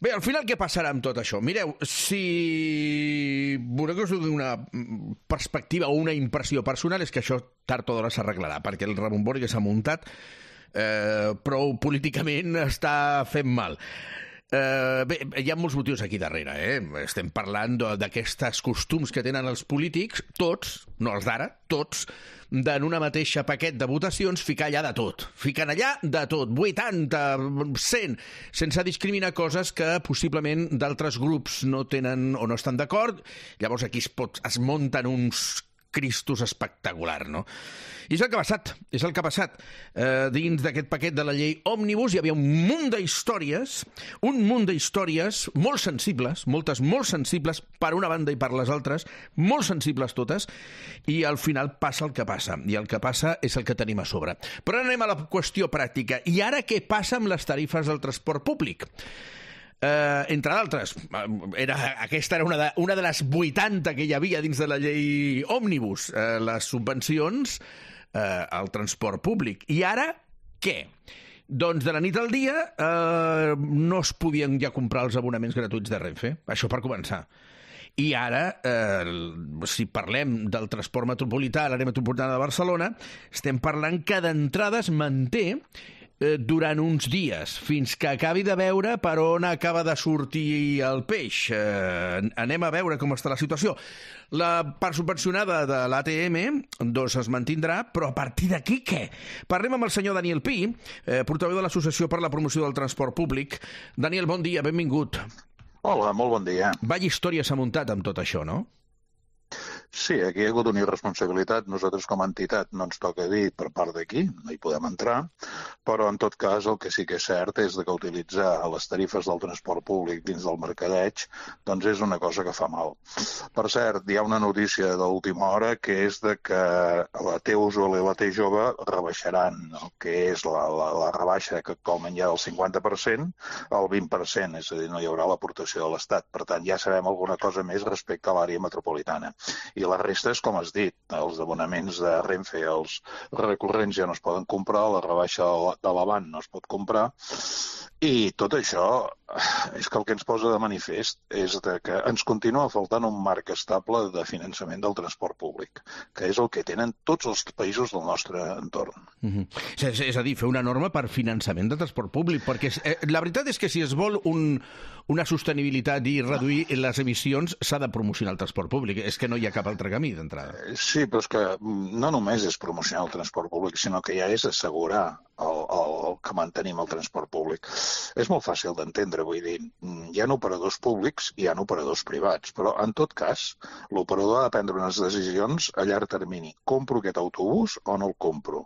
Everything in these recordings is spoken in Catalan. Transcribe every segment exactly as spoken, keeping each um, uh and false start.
Bé, al final què passarà amb tot això? Mireu, si voleu que us doni una perspectiva o una impressió personal, és que això tard o d'hora s'arreglarà, perquè el rebombori que s'ha muntat eh, prou políticament està fent mal. Uh, bé, hi ha molts motius aquí darrere, eh? Estem parlant d'aquests costums que tenen els polítics, tots, no els d'ara, tots, d'en una mateixa paquet de votacions ficar allà de tot. Fiquen allà de tot, vuitanta, cent, sense discriminar coses que possiblement d'altres grups no tenen o no estan d'acord. Llavors aquí es, pot, es munten uns cristos espectacular, no? I és el que ha passat, és el que ha passat. Eh, dins d'aquest paquet de la llei Òmnibus hi havia un munt d'històries, un munt d'històries molt sensibles, moltes molt sensibles per una banda i per les altres, molt sensibles totes, i al final passa el que passa, i el que passa és el que tenim a sobre. Però anem a la qüestió pràctica. I ara què passa amb les tarifes del transport públic? Uh, entre d'altres, era, aquesta era una de, una de les vuitanta que hi havia dins de la llei Òmnibus, uh, les subvencions uh, al transport públic. I ara, què? Doncs de la nit al dia uh, no es podien ja comprar els abonaments gratuïts de Renfe, això per començar. I ara, eh, si parlem del transport metropolità a l'àrea metropolitana de Barcelona, estem parlant que d'entrada es manté durant uns dies, fins que acabi de veure per on acaba de sortir el peix. Eh, anem a veure com està la situació. La part subvencionada de l'A T M doncs es mantindrà, però a partir d'aquí què? Parlem amb el senyor Daniel Pi, eh, portaveu de l'Associació per la Promoció del Transport Públic. Daniel, bon dia, benvingut. Hola, molt bon dia. Vaya història s'ha muntat amb tot això, no? Sí, aquí hi ha hagut una irresponsabilitat. Nosaltres com a entitat no ens toca dir per part d'aquí, no hi podem entrar, però en tot cas el que sí que és cert és que utilitzar les tarifes del transport públic dins del mercadeig doncs és una cosa que fa mal. Per cert, hi ha una notícia d'última hora que és de que la T Usual i la T Jove rebaixaran el que és la, la, la rebaixa que actualment hi ha del cinquanta per cent al vint per cent, és a dir, no hi haurà l'aportació de l'Estat. Per tant, ja sabem alguna cosa més respecte a l'àrea metropolitana. I la resta és com has dit, els abonaments de Renfe, els recurrents ja no es poden comprar, la rebaixa de l'Avant no es pot comprar, i tot això és que el que ens posa de manifest és que ens continua faltant un marc estable de finançament del transport públic, que és el que tenen tots els països del nostre entorn. Mm-hmm. és, és a dir, fer una norma per finançament de transport públic, perquè eh, la veritat és que si es vol un, una sostenibilitat i reduir les emissions s'ha de promocionar el transport públic, és que no hi ha cap altre camí d'entrada. Sí, però és que no només és promocionar el transport públic, sinó que ja és assegurar el, el, el que mantenim el transport públic. És molt fàcil d'entendre, vull dir, hi ha operadors públics i hi ha operadors privats, però en tot cas l'operador ha de prendre unes decisions a llarg termini. Compro aquest autobús o no el compro?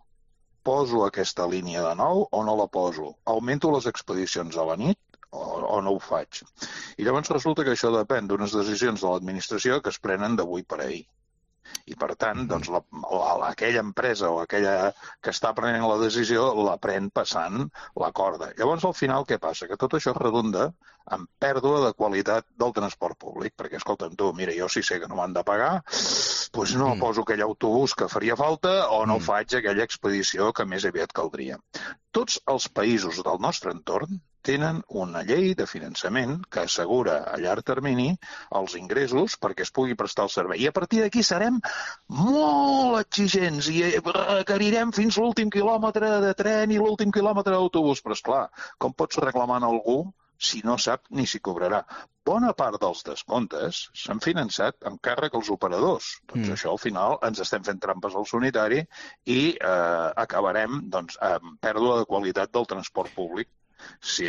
Poso aquesta línia de nou o no la poso? Augmento les expedicions a la nit o, o no ho faig? I llavors resulta que això depèn d'unes decisions de l'administració que es prenen d'avui per ahir. I, per tant, doncs, la, la, aquella empresa o aquella que està prenent la decisió la pren passant la corda. Llavors, al final, què passa? Que tot això redunda en pèrdua de qualitat del transport públic, perquè, escolta'm, tu, mira, jo si sé que no m'han de pagar, doncs no mm. poso aquell autobús que faria falta o no mm. faig aquella expedició que més aviat caldria. Tots els països del nostre entorn tenen una llei de finançament que assegura a llarg termini els ingressos perquè es pugui prestar el servei. I a partir d'aquí serem molt exigents i requerirem fins l'últim quilòmetre de tren i l'últim quilòmetre d'autobús. Però, esclar, com pots reclamar a algú si no sap ni si cobrarà? Bona part dels descomptes s'han finançat amb càrrec als operadors. Doncs mm. això, al final, ens estem fent trampes al solitari i eh, acabarem doncs, amb pèrdua de qualitat del transport públic. Sí,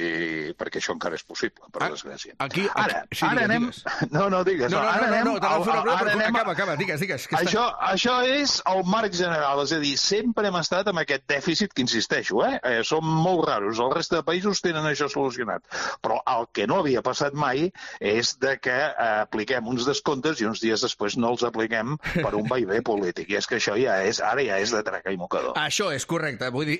perquè això encara és possible, per desgràcia. Aquí, aquí, ara, sí, ara digues, anem... Digues. No, no, digues. No, no, ara no, anem... no, no, no, no, ara no, anem... acaba, acaba, digues, digues. Que això, està... això és el marc general, és a dir, sempre hem estat amb aquest dèficit que insisteixo, eh? eh som molt raros, el reste de països tenen això solucionat. Però el que no havia passat mai és de que eh, apliquem uns descomptes i uns dies després no els apliquem per un vaivé polític. I és que això ja és, ara ja és de traca i mocador. Això és correcte, vull dir,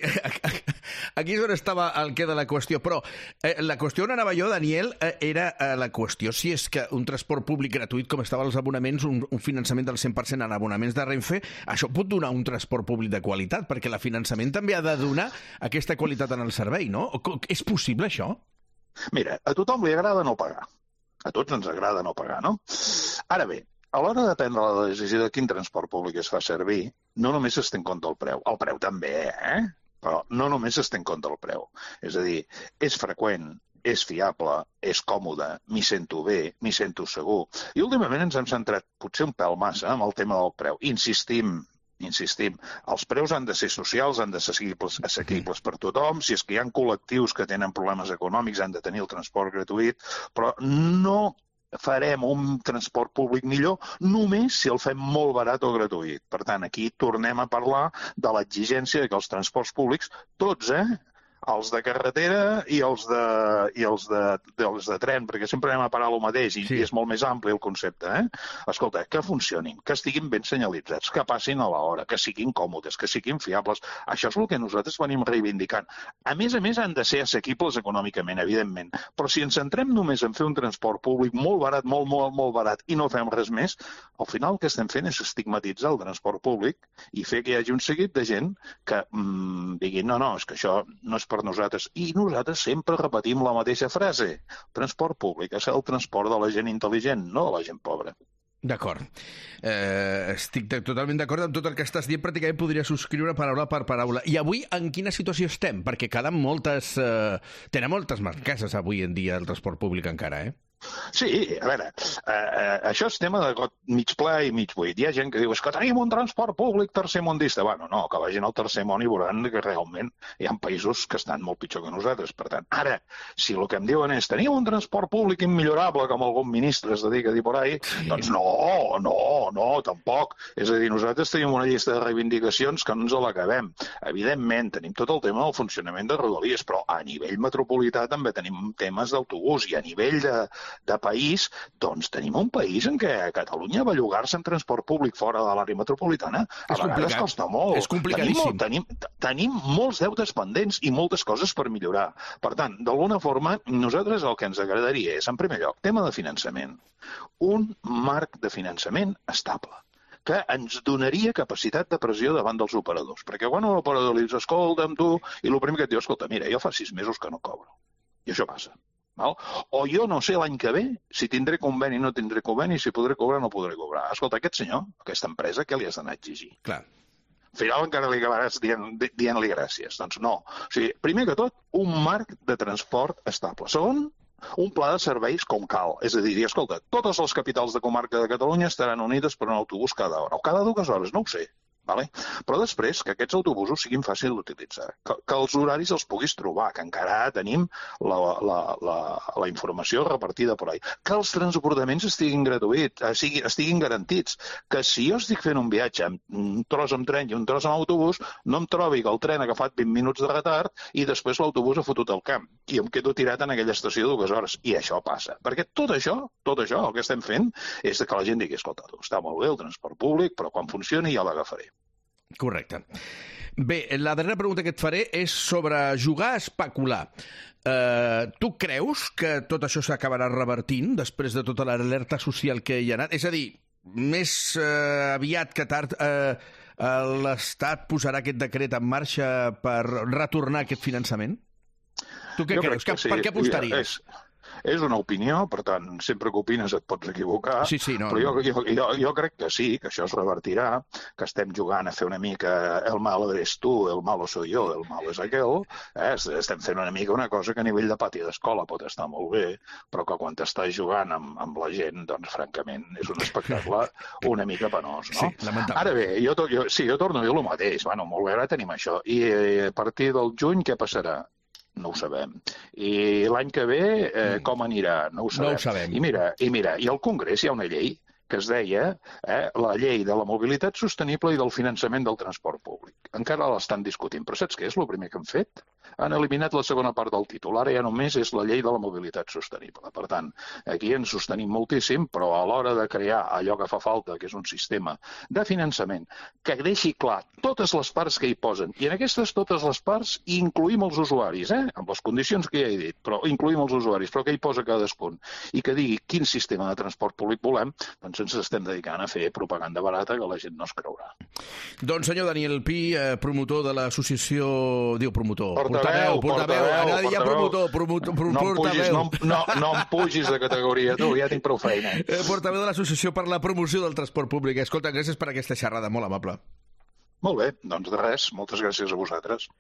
aquí és on estava el què de la qüestió, però eh, la qüestió on anava jo, Daniel, eh, era eh, la qüestió si és que un transport públic gratuït com estaven els abonaments, un, un finançament del cent per cent en abonaments de Renfe, això pot donar un transport públic de qualitat, perquè el finançament també ha de donar aquesta qualitat en el servei, no? És possible això? Mira, a tothom li agrada no pagar. A tots ens agrada no pagar, no? Ara bé, a l'hora de prendre la decisió de quin transport públic es fa servir, no només es té en compte el preu. El preu també, eh? Però no només es té en compte el preu. És a dir, és freqüent, és fiable, és còmode, m'hi sento bé, m'hi sento segur. I últimament ens hem centrat potser un pèl massa amb el tema del preu. Insistim, insistim, els preus han de ser socials, han de ser assequibles, assequibles per tothom. Si és que hi ha col·lectius que tenen problemes econòmics, han de tenir el transport gratuït, però no farem un transport públic millor només si el fem molt barat o gratuït. Per tant, aquí tornem a parlar de l'exigència que els transports públics, tots, eh?, els de carretera i els de, i els de, els de tren, perquè sempre anem a parar el mateix i, sí. i és molt més ampli el concepte. Eh? Escolta, que funcionin, que estiguin ben senyalitzats, que passin a l'hora, que siguin còmodes, que siguin fiables. Això és el que nosaltres venim reivindicant. A més a més, han de ser assequibles econòmicament, evidentment. Però si ens centrem només en fer un transport públic molt barat, molt, molt, molt barat, i no fem res més, al final el que estem fent és estigmatitzar el transport públic i fer que hi hagi un seguit de gent que mmm, digui, no, no, és que això no és per nosaltres. I nosaltres sempre repetim la mateixa frase. Transport públic és el transport de la gent intel·ligent, no de la gent pobra. D'acord. Eh, estic totalment d'acord amb tot el que estàs dient. Pràcticament podria subscriure paraula per paraula. I avui en quina situació estem? Perquè queden moltes... Eh, tenen moltes marqueses avui en dia el transport públic encara, eh? Sí, a veure, eh, eh, això és tema de got mig ple i mig buit. Hi ha gent que diu, és que tenim un transport públic tercermundista. Bueno, no, que vagin al tercer món i veuran que realment hi ha països que estan molt pitjor que nosaltres. Per tant, ara, si el que em diuen és tenim un transport públic immillorable, com algun ministre es dedica a dir por ahí, sí. doncs no, no, no, tampoc. És a dir, nosaltres tenim una llista de reivindicacions que no ens l'acabem. Evidentment, tenim tot el tema del funcionament de Rodalies, però a nivell metropolità també tenim temes d'autobús i a nivell de de país, doncs tenim un país en què Catalunya va llogar-se en transport públic fora de l'àrea metropolitana. A és vegades costa molt. És complicadíssim. Tenim, tenim, tenim molts deutes pendents i moltes coses per millorar. Per tant, d'alguna forma, nosaltres el que ens agradaria és, en primer lloc, tema de finançament. Un marc de finançament estable que ens donaria capacitat de pressió davant dels operadors. Perquè quan un operador li dius, escolta, amb tu, i el primer que et diu, escolta, mira, jo fa sis mesos que no cobro. I això passa. Val? O jo no sé l'any que ve si tindré conveni o no tindré conveni, si podré cobrar o no podré cobrar. Escolta, aquest senyor, aquesta empresa, què li has d'anar a exigir? Clar. Al final encara li acabaràs dient, dient-li gràcies. Doncs no. O sigui, primer que tot, un marc de transport estable. Segon, un pla de serveis com cal. És a dir, escolta, totes les capitals de comarca de Catalunya estaran unides per un autobús cada hora. O cada dues hores, no ho sé. Vale? Però després que aquests autobusos siguin fàcils d'utilitzar, que, que els horaris els puguis trobar, que encara tenim la, la, la, la informació repartida per ahí, que els transbordaments estiguin gratuïts, estiguin, estiguin garantits, que si jo estic fent un viatge amb un tros amb tren i un tros amb autobús, no em trobi que el tren ha agafat vint minuts de retard i després l'autobús ha fotut el camp i em quedo tirat en aquella estació dues hores. I això passa. Perquè tot això, tot això, el que estem fent és que la gent digui, escolta, està molt bé el transport públic, però quan funcioni ja l'agafaré. Correcte. Bé, la darrera pregunta que et faré és sobre jugar a especular. Uh, tu creus que tot això s'acabarà revertint després de tota l'alerta social que hi ha anat? És a dir, més uh, aviat que tard uh, uh, l'Estat posarà aquest decret en marxa per retornar aquest finançament? Tu què jo creus? Que sí. Per què apostaries? És... És una opinió, per tant, sempre que opines et pots equivocar, sí, sí, no, però jo, jo, jo, jo crec que sí, que això es revertirà, que estem jugant a fer una mica el malo eres tu, el malo soy yo, el malo és aquell, eh? Estem fent una mica una cosa que a nivell de pati d'escola pot estar molt bé, però que quan t'estàs jugant amb, amb la gent, doncs, francament, és un espectacle una mica penós, no? Sí, lamentable. Ara bé, jo, jo, sí, jo torno a dir el mateix, bueno, molt bé, ara tenim això, i a partir del juny què passarà? No ho sabem. I l'any que ve, eh, com anirà? No ho sabem. No ho sabem. I mira, i mira, i al Congrés hi ha una llei que es deia eh, la llei de la mobilitat sostenible i del finançament del transport públic. Encara l'estan discutint, però saps què és el primer que han fet? Han eliminat la segona part del títol. Ara ja només és la llei de la mobilitat sostenible. Per tant, aquí ens sostenim moltíssim, però a l'hora de crear allò que fa falta, que és un sistema de finançament, que deixi clar totes les parts que hi posen, i en aquestes totes les parts incluïm els usuaris, eh? Amb les condicions que ja he dit, però incluïm els usuaris, però que hi posa cadascun, i que digui quin sistema de transport públic volem, doncs ens estem dedicant a fer propaganda barata que la gent no es creurà. Doncs senyor Daniel Pi, promotor de l'associació... Diu promotor... portaveu, portaveu, anava a dir ja promotor, promotor, portaveu. No, no, no em pugis de categoria, tu, ja tinc prou feina. Portaveu de l'Associació per la Promoció del Transport Públic. Escolta, gràcies per aquesta xerrada, molt amable. Molt bé, doncs de res, moltes gràcies a vosaltres.